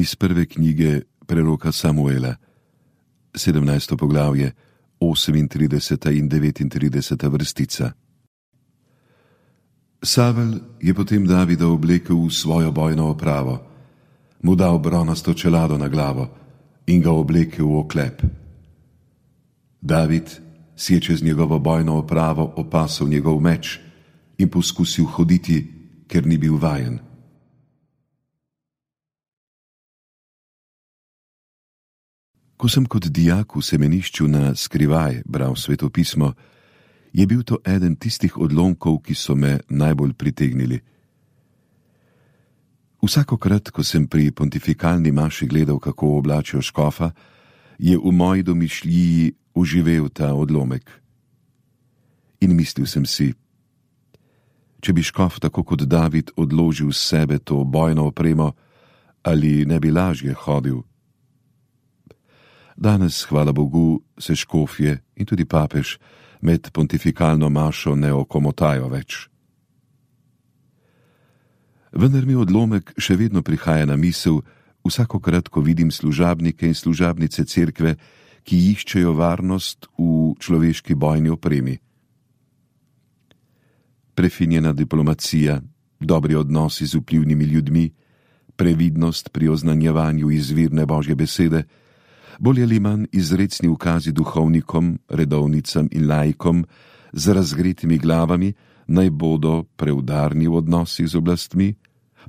Iz prve knjige preroka Samuela, 17. poglavje, 38. in 39. vrstica. Savel je potem Davida oblekel v svojo bojno opravo, mu dal bronasto čelado na glavo in ga oblekel v oklep. David si je čez njegovo bojno opravo opasal njegov meč in poskusil hoditi, ker ni bil vajen. Ko sem kot dijak v semenišču na skrivaj bral svetopismo, je bil to eden tistih odlomkov, ki so me najbolj pritegnili. Vsakokrat, ko sem pri pontifikalni maši gledal, kako oblačijo škofa, je v moji domišljiji oživel ta odlomek. In mislil sem si, če bi škof tako kot David odložil s sebe to bojno opremo, ali ne bi lažje hodil. Danes, hvala Bogu, se škofje in tudi papež med pontifikalno mašo ne okomotajo več. Vendar mi odlomek še vedno prihaja na misel vsakokrat, ko vidim služabnike in služabnice cerkve, ki iščejo varnost v človeški bojni opremi. Prefinjena diplomacija, dobri odnosi z vplivnimi ljudmi, previdnost pri oznanjevanju izvirne Božje besede, bolj ali manj izrecni ukazi duhovnikom, redovnicam in laikom z razgretimi glavami, naj bodo preudarni v odnosih z oblastmi,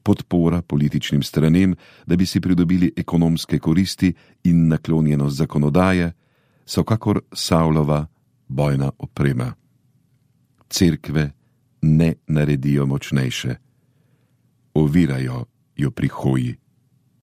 podpora političnim stranem, da bi si pridobili ekonomske koristi in naklonjenost zakonodaje, so kakor Savlova bojna oprema. Cerkve ne naredijo močnejše, ovirajo jo pri hoji.